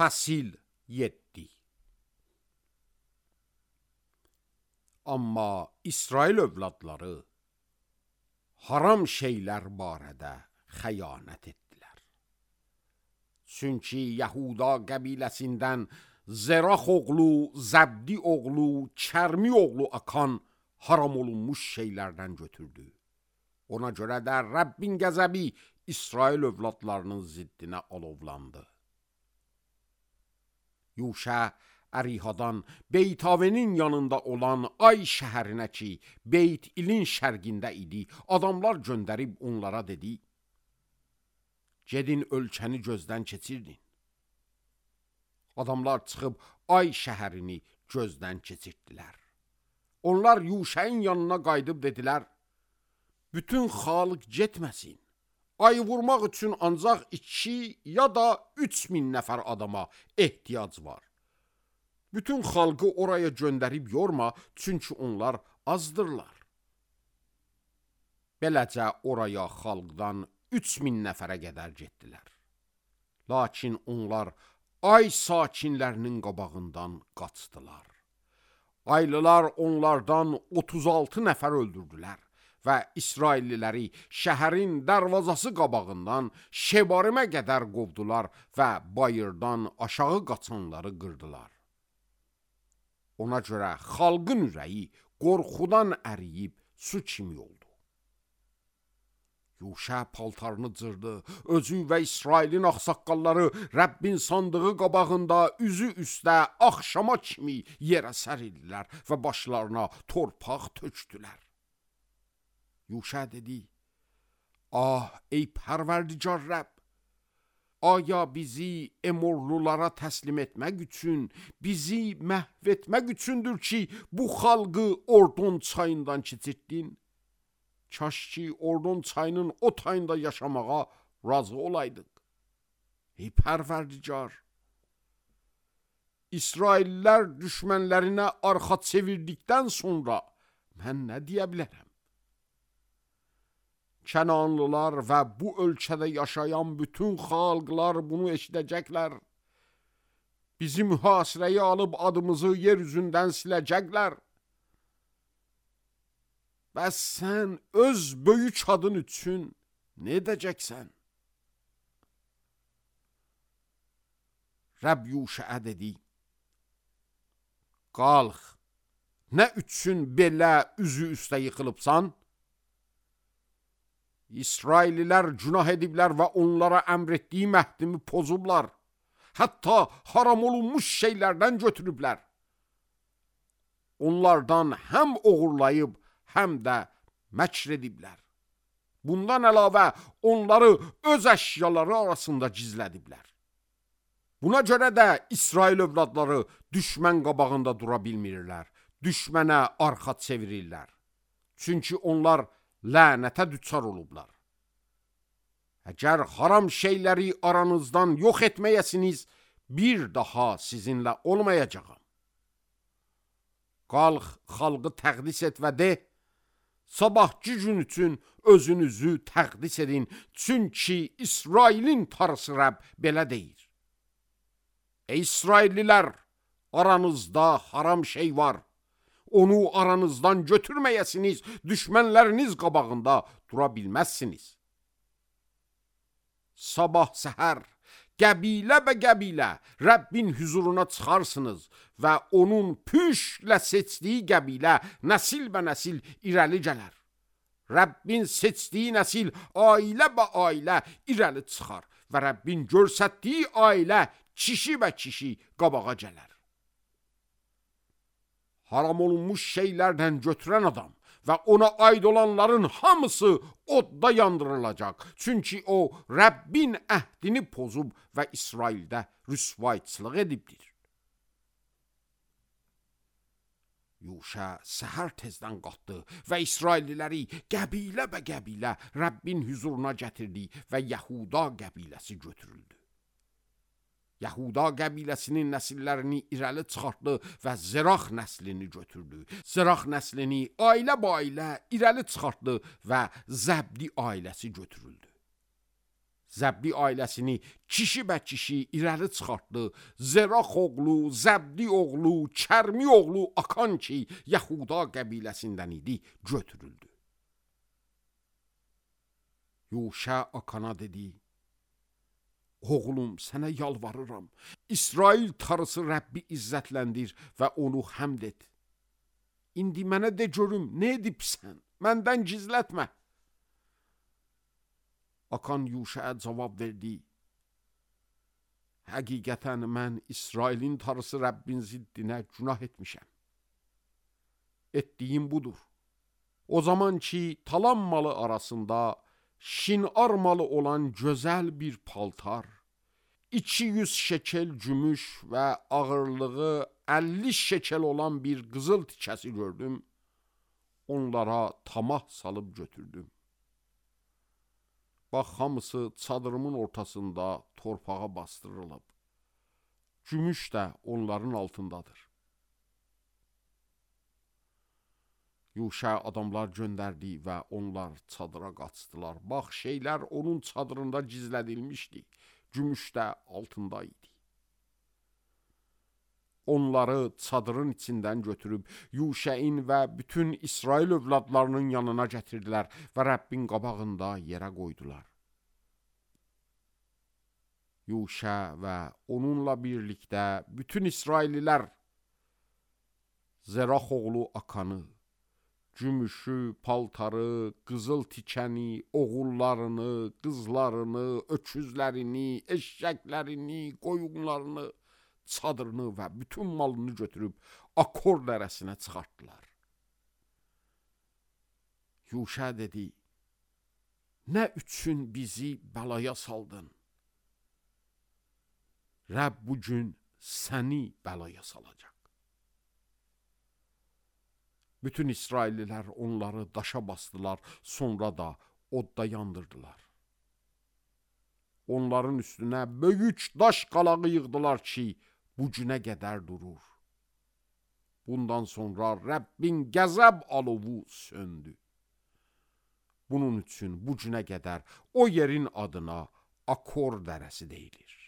Fəsil 7. Amma İsrail övladları haram şeylər barədə xəyanət etdilər. Çünki Yahuda qəbiləsindən Zerax oğlu, Zəbdi oğlu, Kərmi oğlu Akan haram olunmuş şeylərdən götürdü. Ona görə də Rəbbin qəzəbi İsrail övladlarının ziddinə alovlandı. Yuşa Ərihadan Beytavenin yanında olan Ay şəhərinə ki, Beyt İlin şərqində idi, adamlar göndərib onlara dedi: gedin ölkəni gözdən keçirdin. Adamlar çıxıb Ay şəhərini gözdən keçirdilər. Onlar Yuşa'nın yanına qayıdıb dedilər: bütün xalq getməsin. Ayı vurmaq üçün ancaq 2 ya da 3000 nəfər adama ehtiyac var. Bütün xalqı oraya göndərib yorma, çünki onlar azdırlar. Beləcə oraya xalqdan 3000 nəfərə qədər getdilər. Lakin onlar Ay sakinlərinin qabağından qaçdılar. Aylılar onlardan 36 nəfər öldürdülər və İsrailliləri şəhərin dərvazası qabağından Şebarimə qədər qovdular və bayırdan aşağı qaçanları qırdılar. Ona görə xalqın ürəyi qorxudan əriyib su kimi oldu. Yuşa paltarını cırdı, özü və İsrailin ağsaqqalları Rəbbin sandığı qabağında üzü üstə axşama kimi yerə sərildilər və başlarına torpaq tökdülər. Yuşa dedi: ah ey pərverdigar Rəbb, aya bizi Emorlulara təslim etmək üçün, bizi məhv etmək üçündür ki, bu xalqı Ordon çayından keçirdin? Kaş ki Ordon çayının o tayında yaşamağa razı olaydıq. Ey pərverdigar, İsraillər düşmənlərinə arxa çevirdikdən sonra mən nə deyə bilərəm? Kənanlılar və bu ölkədə yaşayan bütün xalqlar bunu eşidəcəklər. Bizi mühasirəyə alıb adımızı yer üzündən siləcəklər. Bəs sən öz böyük adın üçün nə edəcəksən? Rəbb Yuşa dedi: qalx, nə üçün belə üzü üstə yıxılıbsan? İsraililər günah ediblər və onlara əmr etdiyim əhdimi pozublar. Hətta haram olunmuş şeylərdən götürüblər. Onlardan həm oğurlayıb, həm də məkr ediblər. Bundan əlavə onları öz əşyaları arasında gizlədiblər. Buna görə də İsrail övladları düşmən qabağında dura bilmirlər, düşmənə arxa çevirirlər. Çünki onlar lənətə düçar olublar. Əgər haram şeyləri aranızdan yox etməyəsiniz, bir daha sizinlə olmayacağam. Qalx, xalqı təqdis et və de: sabahki gün üçün özünüzü təqdis edin, çünki İsrailin Tanrısı Rəbb belə deyir: ey İsraillilər, aranızda haram şey var. Onu aranızdan götürməyəsiniz, düşmənləriniz qabağında dura bilməzsiniz. Sabah səhər qəbilə və qəbilə Rəbbin huzuruna çıxarsınız və onun püşlə seçdiyi qəbilə nəsil və nəsil irəli gələr. Rəbbin seçdiyi nəsil ailə və ailə irəli çıxar və Rəbbin görsətdiyi ailə kişi və kişi qabağa gələr. Haram olunmuş şeylərdən götürən adam və ona aid olanların hamısı odda yandırılacaq. Çünki o Rəbbin əhdini pozub və İsraildə rüsvayçılıq edibdir. Yuşa səhər tezdən qalxdı və İsrailliləri qəbilə və qəbilə Rəbbin huzuruna gətirdi və Yahuda qəbiləsi götürüldü. Yahuda qəbiləsinin nəsillərini irəli çıxartdı və Zerax nəslini götürdü. Zerax nəslini ailə ba ailə irəli çıxartdı və Zəbdi ailəsi götürüldü. Zəbdi ailəsini kişi bə kişi irəli çıxartdı. Zerax oğlu, Zəbdi oğlu, Kərmi oğlu Akan ki, Yahuda qəbiləsindən idi, götürüldü. Yuşa Akana dedi: Oğlum, sənə yalvarıram. İsrail tarısı Rəbbi izzətləndir və onu həmd et. İndi mənə de görüm, nə edibsən? Məndən gizlətmə. Akan Yuşaya cavab verdi: Həqiqətən mən İsrailin tarısı Rəbbin ziddinə günah etmişəm. Etdiyim budur. O zaman ki, talan malı arasında şinar malı olan gözəl bir paltar, 200 şekel gümüş və ağırlığı 50 şekel olan bir qızıl tikəsi gördüm. Onlara tamah salıb götürdüm. Bax, hamısı çadırımın ortasında torpağa bastırılıb. Gümüş də onların altındadır. Yuşa adamlar göndərdi və onlar çadıra qaçdılar. Bax, şeylər onun çadırında gizlədilmişdi. Gümüş də altında idi. Onları çadırın içindən götürüb Yuşain və bütün İsrail övladlarının yanına gətirdilər və Rəbbin qabağında yerə qoydular. Yuşa və onunla birlikdə bütün İsraililər Zerax oğlu Akanı, gümüşü, paltarı, qızıl tikəni, oğullarını, qızlarını, öküzlərini, eşşəklərini, qoyunlarını, çadırını və bütün malını götürüb Akor dərəsinə çıxartdılar. Yuşa dedi: Nə üçün bizi bəlaya saldın? Rəbb bugün səni bəlaya salacaq. Bütün İsraillilər onları daşa bastılar, sonra da odda yandırdılar. Onların üstünə böyük daş qalağı yığdılar ki, bu günə qədər durur. Bundan sonra Rəbbin qəzəb alovu söndü. Bunun üçün bu günə qədər o yerin adına Akor dərəsi deyilir.